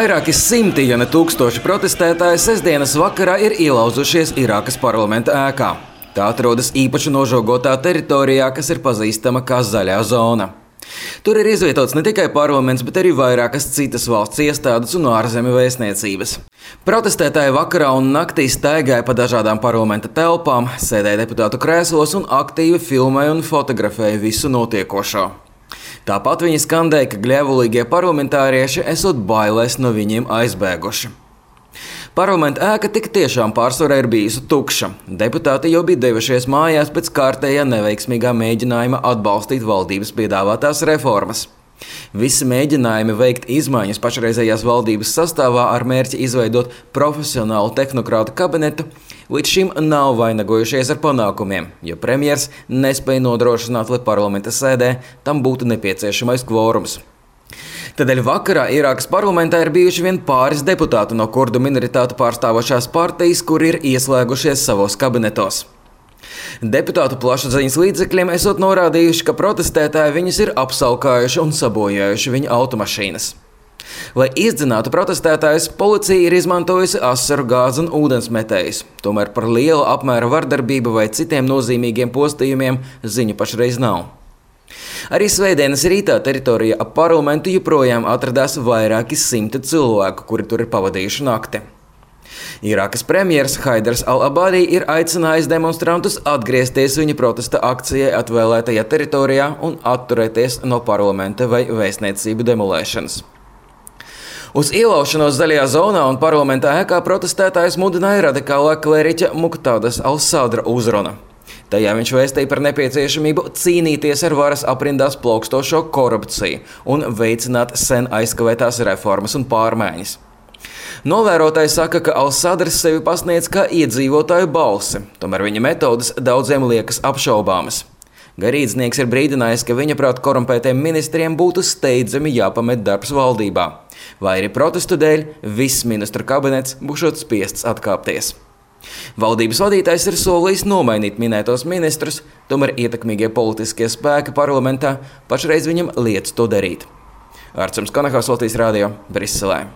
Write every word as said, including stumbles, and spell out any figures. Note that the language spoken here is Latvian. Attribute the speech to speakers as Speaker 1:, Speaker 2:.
Speaker 1: Vairāki simti, ja ne tūkstoši protestētāji sestdienas vakarā ir ielauzušies Irākas parlamenta ēkā. Tā atrodas īpaši nožogotā teritorijā, kas ir pazīstama kā Zaļā zona. Tur ir izvietots ne tikai parlaments, bet arī vairākas citas valsts iestādes un ārzemju vēstniecības. Protestētāji vakarā un naktī staigāja pa dažādām parlamenta telpām, sēdēja deputātu krēslos un aktīvi filmēja un fotografēja visu notiekošo. Tāpat viņi skandēja, ka gļēvulīgie parlamentārieši esot bailēs no viņiem aizbēguši. Parlamenta ēka tik tiešām pārsvarā ir bijusi tukša. Deputāti jau bija devušies mājās pēc kārtējā neveiksmīgā mēģinājuma atbalstīt valdības piedāvātās reformas. Visi mēģinājumi veikt izmaiņas pašreizējās valdības sastāvā ar mērķi izveidot profesionālu tehnokrātu kabinetu līdz šim nav vainagojušies ar panākumiem, jo premjers nespēja nodrošināt, lai parlamenta sēdē tam būtu nepieciešamais kvorums. Tādēļ vakarā Irākas parlamentā ir bijuši vien pāris deputāti no kurdu minoritātu pārstāvošās partijas, kuri ir ieslēgušies savos kabinetos. Deputātu plašsaziņas līdzekļiem esot norādījuši, ka protestētāji viņus ir apsalkājuši un sabojājuši viņa automašīnas. Lai izdzinātu protestētājus, policija ir izmantojusi asaru gāzi un ūdensmetējus. Tomēr par lielu apmēra vardarbību vai citiem nozīmīgiem postījumiem ziņu pašreiz nav. Arī svētdienas rītā teritorijā ap parlamentu joprojām atradās vairāki simti cilvēku, kuri tur ir pavadījuši nakti. Irākas premjers Haidars al-Abadi ir aicinājis demonstrantus atgriezties viņa protesta akcijai atvēlētajā teritorijā un atturēties no parlamenta vai vēstniecību demolēšanas. Uz ielaušanos Zaļajā zonā un parlamentā ēkā protestētājus mudināja radikālā klēriķa Muqtādas al-Sadra uzruna. Tajā viņš vēstīja par nepieciešamību cīnīties ar varas aprindās plaukstošo korupciju un veicināt sen aizkavētās reformas un pārmaiņas. Novērotāji saka, ka al-Sadrs sevi pasniedz kā iedzīvotāju balsi, tomēr viņa metodas daudziem liekas apšaubāmas. Garīdznieks ir brīdinājis, ka viņa prāt korumpētiem ministriem būtu steidzami jāpamet darbs valdībā, vai arī protestu dēļ viss ministru kabinets būšot spiests atkāpties. Valdības vadītājs ir solījis nomainīt minētos ministrus, tomēr ietekmīgie politiskie spēki parlamentā pašreiz viņam liedz to darīt. Arcums Kanahās, Latvijas radio, Briselē.